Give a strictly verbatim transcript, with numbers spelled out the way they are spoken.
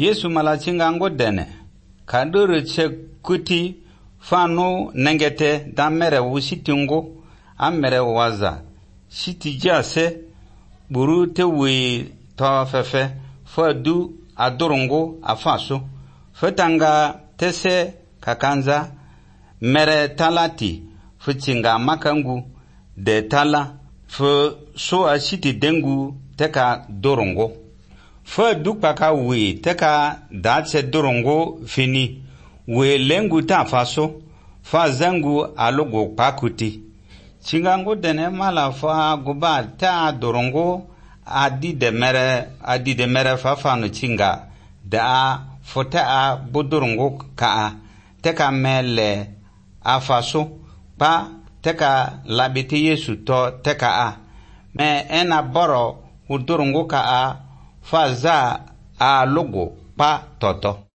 Yesu malachinga ngo dene kaduru che kuti fanu nengete da mere wusitingo amere waza shiti jase buru te wi to fefe fadu adorongo afaso fetanga tese kakanza mere talati fuchinga makangu de tala fu so a shiti dengu teka dorongo fa dukpaka we teka datse dorongo fini we lengu ta faso fa zangu alogo pakuti chingango dene mala fa guba ta dorongo adi de mere adi de mere fa fanu chinga da fota a bodorongo ka teka mele a faso pa teka labiti Yesu to teka a me ena boro udorongo ka a fa za a logo pa toto.